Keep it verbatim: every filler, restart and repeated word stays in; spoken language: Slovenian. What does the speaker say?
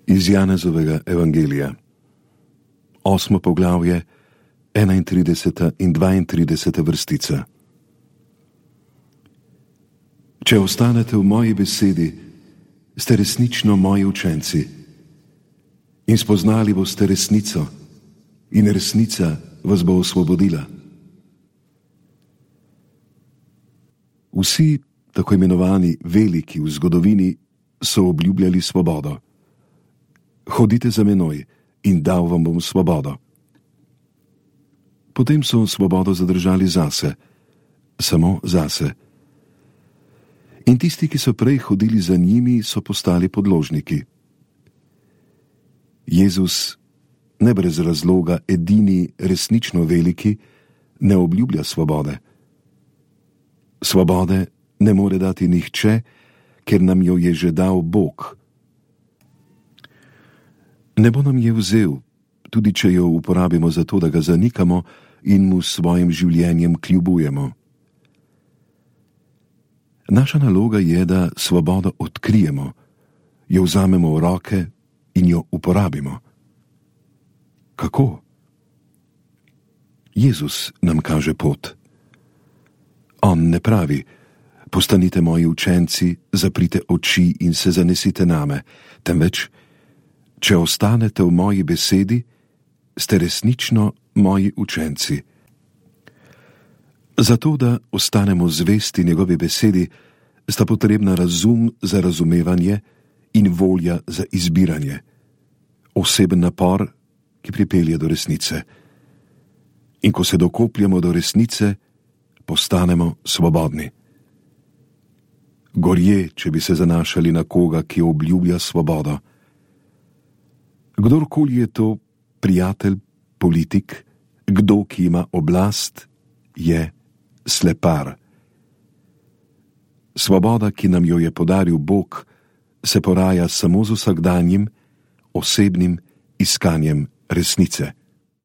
Iz Janezovega evangelija, osmo poglavje, enaintrideseta in dvaintrideseta vrstica. Če ostanete v moji besedi, ste resnično moji učenci in spoznali boste resnico in resnica vas bo osvobodila. Vsi tako imenovani veliki v zgodovini so obljubljali svobodo. Hodite za menoj in dal vam bom svobodo. Potem so svobodo zadržali zase, samo zase. In tisti, ki so prej hodili za njimi, so postali podložniki. Jezus, ne brez razloga edini resnično veliki, ne obljublja svobode. Svobode ne more dati nihče, ker nam jo je že dal Bog. Ne bo nam je vzel, tudi če jo uporabimo za to, da ga zanikamo in mu s svojim življenjem kljubujemo. Naša naloga je, da svobodo odkrijemo, jo vzamemo v roke in jo uporabimo. Kako? Jezus nam kaže pot. On ne pravi: postanite moji učenci, zaprite oči in se zanesite name, temveč: če ostanete v moji besedi, ste resnično moji učenci. Zato, da ostanemo zvesti njegovi besedi, sta potrebna razum za razumevanje in volja za izbiranje, oseben napor, ki pripelje do resnice. In ko se dokopljamo do resnice, postanemo svobodni. Gorje, če bi se zanašali na koga, ki obljublja svobodo. Kdorkoli je to, prijatelj, politik, kdo, ki ima oblast, je slepar. Svoboda, ki nam jo je podaril Bog, se poraja samo z vsakdanjim, osebnim iskanjem resnice.